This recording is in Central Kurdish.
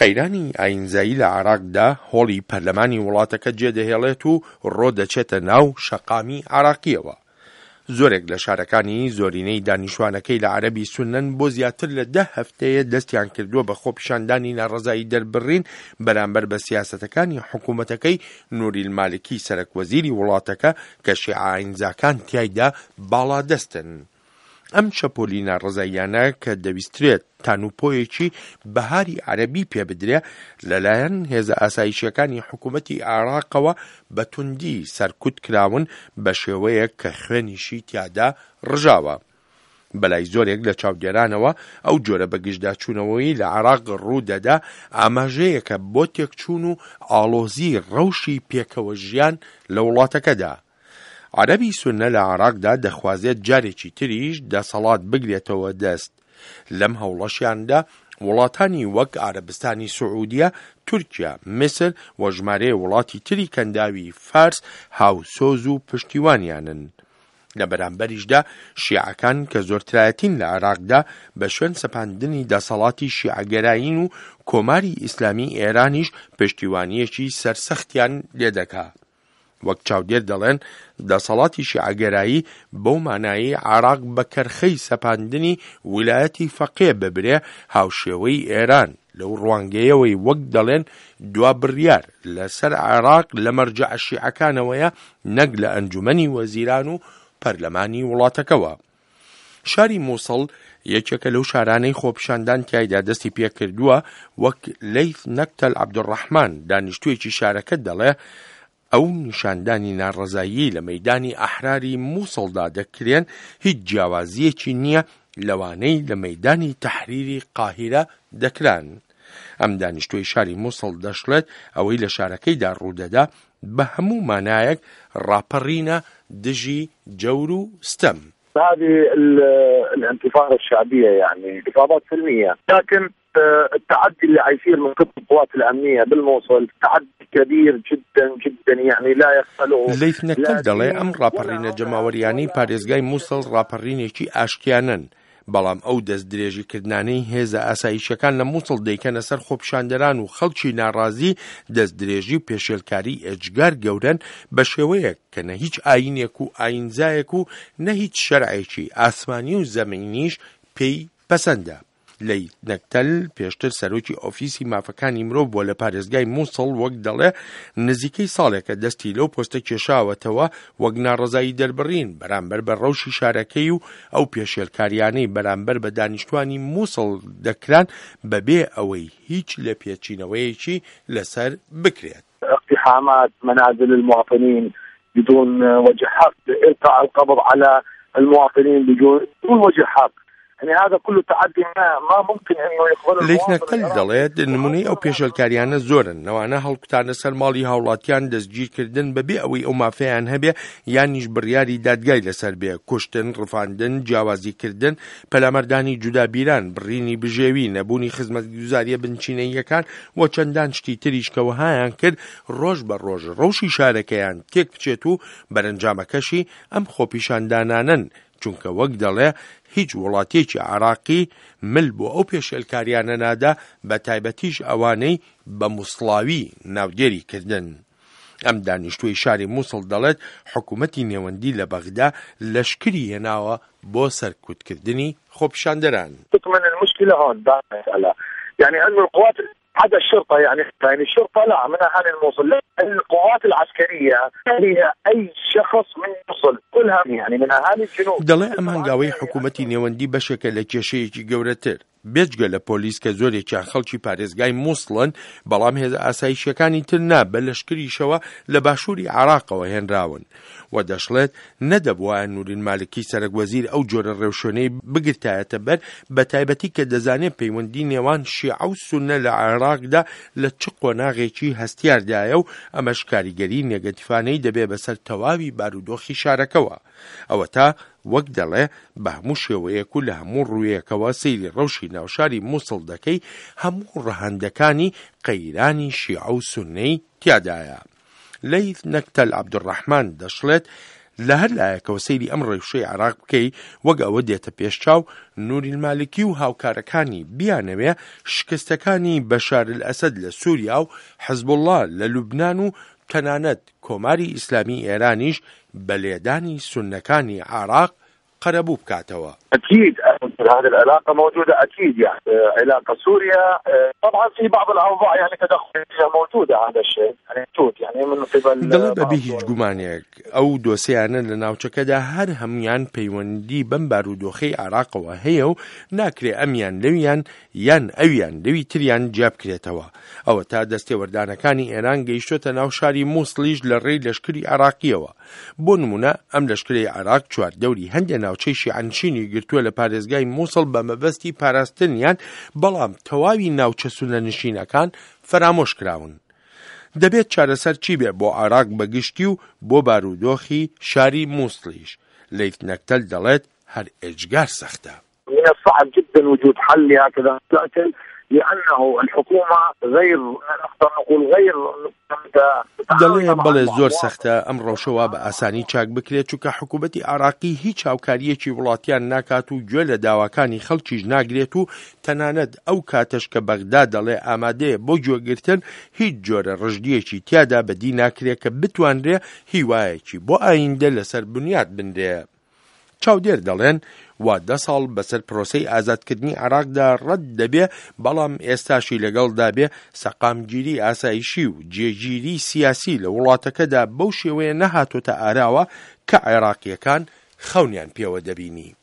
قەیرانی ئایینزایی لە عێراقدا هۆڵی پەرلەمانی وڵاتەکە جێدەهێڵێت و ڕۆدەچێتە ناو شەقامی عێراقییەوە. زۆرێک لە شارەکانی زۆرینەی دانیشتوانەکەی لە عەرەبی سوننەن بۆ زیاتر لە دە هەفتەیە دەستیان کردووە بە خۆپیشاندانی ناڕەزایی دەربڕین بەرامبەر بە سیاسەتەکانی حکوومەتەکەی نوریل مالکی سەرەک وەزیری وڵاتەکە کە شیعە ئایینزاکان تیایدا باڵادەستن. ئەم شەپۆلی ناڕەزاییانە کە دەویسترێت تانوپۆیەکی بەهاری عەرەبی پێ بدرێ، لەلایەن هێزە ئاسایشییەکانی حکوومەتی عێراقەوە بە توندی سەرکوت کراون بە شێوەیەک کە خوێنیشی تیادا ڕژاوە. بەلای زۆرێک لە چاودێرانەوە ئەو جۆرە بەگژداچوونەوەی لە عێراق ڕوو دەدا ئاماژەیەکە بۆ تێکچوون و ئاڵۆزی ڕەوشی پێکەوە ژیان لە وڵاتەکەدا. عەرەبی سوننە لە عێراقدا دەخوازێت جارێکی تریش دەسەڵات بگرێتەوە دەست، لەم هەوڵەشیاندا وڵاتانی وەک عەرەبستانی سعودیە، تورکیا، میسر و ژمارەیە وڵاتی تری کەنداوی فارس هاوسۆز و پشتیوانیانن. لە بەرامبەریشدا شیعەکان کە زۆرترایەتین لە عێراقدا بە شوێن سەپاندنی دەسەڵاتی شیعەگەرایین و کۆماری ئیسلامی ئێرانیش پشتیوانییەکی سەرسەختیان لێدەکا. وەک چاودێر دەڵێن دەسەڵاتی شیعەگەرایی بەو مانایەی عێراق بە کەرخەی سەپاندنی ویلایەتی فەقێ ببرێ هاوشێوەی ئێران، لەو ڕوانگەیەوەی وەک دەڵێن دوا بڕیار لەسەر عێراق لە مەرجەعە شیعەکانەوەیە نەک لە ئەنجومەنی وەزیران و پەرلەمانی وڵاتەکەوە. شاری موسڵ یەکێکە لەو شارانەی خۆپیشاندان تیایدا دەستی پێکردووە، وەک لەیث نەکتەل عەبدولڕەحمان دانیشتوویەکی شارەکە دەڵێ ئەو نیشاندانی ناڕەزاییەی لە مەیدانی ئەحراری موسڵدا دەکرێن هیچ جیاوازییەکی نییە لەوانەی لە مەیدانی تەحریری قاهیرە دەکران. ئەم دانیشتووەی شاری موسڵ دەشڵێت ئەوەی لە شارەکەیدا ڕوودەدا بە هەموو مانایەک ڕاپەڕینە دژی جەور و ستەم. هذه الانتفاضة الشعبية يعني انتفاضات سلمية لكن التعدي اللي عيصير من قبل القوات الأمنية بالموصل تعدي كبير جدا جدا يعني لا يقبله لەیث نەکتەل دەڵێ ئەم ڕاپەڕینە جەماوەریانەی پارێزگای موسڵ ڕاپەڕینێکی ئاشتیانەن، بەڵام ئەو دەستدرێژیکردنانەی هێزە ئاسایشیەکان لە موسڵ دەیکەنە سەر خۆپیشاندەران و خەڵکی ناڕازی دەستدرێژی و پێشێلکاری ئێجگار گەورەن بە شێوەیەک کە نە هیچ ئایینێک و ئایینزایەک و نە هیچ شەرعێکی ئاسمانی و زەمینیش پێی پەسەندە. لەیت نەکتەل پێشتر سەرۆکی ئۆفیسی مافەکانی مرۆڤ بووە لە پارێزگای موسڵ، وەک دەڵێ نزیکەی ساڵێکە دەستی لەو پۆستە کێشاوەتەوە وەک ناڕەزایی دەربڕین بەرامبەر بە ڕەوشی شارەکەی و ئەو پێشێلکاریانەی بەرامبەر بە دانیشتوانی موسڵ دەکران بەبێ ئەوەی هیچ لێپێچینەوەیەکی لەسەر بکرێت. اقتحامات منازل المواطنين بدون وجه حق إلقاء القبض على المواطنين بدون وجه حق يعني هذا كله تعدي ما, ما ممكن انه يقبله لەیث نەکتەل دەڵێت نمونەی ئەو پێشێلکاریانە زۆرن لەوانە هەڵکوتانە سەر ماڵی هاوڵاتیان دەستگیرکردن بەبێ ئەوەی ئەو مافەیان هەبێ یانیش بڕیاری دادگای لەسەر بێ کوشتن ڕفاندن جیاوازیکردن پەلاماردانی جودابیران، بڕینی بژێوی، نەبوونی خزمەتگوزارییە بنچینەییەکان و چەندان شتی تریش کە وەهایان کرد ڕۆژ بە ڕۆژ ڕەوشی شارەکەیان تێک بچێت و بەرەنجامەکەشی ئەم خۆپیشاندانانەن چونکە وەک دەڵێ هیچ وڵاتێکی عێراقی مل بۆ ئەو پێشێلکاریانە نادا بە تایبەتیش ئەوانەی بە موسڵاوی ناودێری کردن. ئەم دانیشتووەی شاری موسڵ دەڵێت حکومەتی نێوەندی لە بەغدا لەشکری هێناوە بۆ سەرکوتکردنی خۆپیشاندەران. تكمن المشكلة هون بالمسألة يعني أنه القوات عدا الشرطة يعني يعني الشرطة لا من أهالي الموصل لا القوات العسكرية هي أي شخص من الموصل كلها يعني من أهالي الجنوب. دەڵێ ئەم هەنگاوەی حکومەتی نێوەندی بەشێکە لە کێشەیەکی گەورەتر. بێجگە لە پۆلیس کە زۆرێکیان خەڵکی پارێزگای موسڵن، بەڵام هێزە ئاسایشییەکانی تر نا، بە لەشکریشەوە لە باشووری عێراقەوە هێنراون. و دەشڵێت، نەدەبوایە نورین مالکی سەرەک وەزیر ئەو جۆرە ڕێوشوێنەی بگرتایەتە بەر، بەتایبەتی کە دەزانێ پەیوەندی نێوان شیعە و سوننە لە عێراقدا لە چ قۆناغێکی هەستیاردایە و ئەمەش کاریگەری نێگەتیفانەی دەبێ بەسەر تەواوی بارودۆخی شارەکەوە. ئەوەتا وەک دەڵێ بە هەموو شێوەیەک و لە هەموو ڕوویەکەوە سەیری ڕەوشی ناوشاری موسڵ دەکەی هەموو ڕەهەندەکانی قەیرانی شیعە و سوننەی تیادایە. لەیث نەکتەل عەبدولڕەحمان دەشڵێت لە هەر لایەکەوە سەیری ئەم ڕەوشەی عێراق بکەی وەک ئەوە دێتە پێش چاو نوری المالکی و هاوکارەکانی بیانەوێ شکستەکانی بەشار الئەسەد لە سوریا و حزبوڵڵا لە لوبنان و تەنانەت کۆماری ئیسلامی ئێرانیش بە لێدانی سوننەکانی عێراق قەرەبوو بکاتەوە. اكيد هذه العلاقه موجوده اكيد يعني علاقه سوريا طبعا في بعض الاوضاع يعني تدخل فيها موجوده هذا الشيء يعني موجود يعني من قبل دەڵێ بەبێ هیچ گومانێک ئەو دۆسیانە لە ناوچەکەدا هەر هەموویان پەیوەندی بەم بارودۆخەی عێراقەوە هەیە و ناکرێ ئەمیان لەویان یان ئەویان لەوی تریان جیابکرێتەوە. ئەوەتا دەستێوەردانەکانی ئێران گەیشتۆتە ناو شاری موسڵیش لە ڕێی لەشکری عێراقییەوە. بۆ نموونە ئەم لەشکرەی عێراق چواردەوری هەندێ ناوچەی شیعەنشینی گرتووە لە پارێزگای موسڵ بە مەبەستی پاراستنیان، بەڵام تەواوی ناوچە سوننەنشینەکان فەرامۆش کراون. دەبێت چارەسەر چی بێ بۆ عێراق بە گشتی و بۆ بارودۆخی شاری موسڵیش؟ لەیث نەکتەل دەڵێت هەر ئێجگار سەختە. من الصعب جدا وجود حل لهكذا مشاكل لانه الحكومه غير نقدر نقول غير دەڵێ بەڵێ زۆر سەختە ئەم ڕەوشە وا بە ئاسانی چاک بکرێت چونکە حکوومەتی عراقی هیچ هاوکاریەکی وڵاتیان ناکات و گوێ لە داواکانی خەڵکیش ناگرێت و تەنانەت ئەو کاتەش کە بەغدا دەڵێ ئامادەیە بۆ گوێگرتن هیچ جۆرە ڕژدیەکی تیادا بەدی ناکرێت کە بتوانرێ هیوایەکی بۆ ئایندە لەسەر بنیات بنرێ. چاودێر دەڵێن وا دە ساڵ بەسەر پرۆسەی ئازادکردنی عێراقدا ڕەت دەبێ، بەڵام ئێستاشی لەگەڵدا بێ سەقامگیری ئاسایشی و جێگیری سیاسی لە وڵاتەکەدا بەو شێوەیە نەهاتۆتە ئاراوە کە عێراقییەکان خەونیان پێوە دەبینی.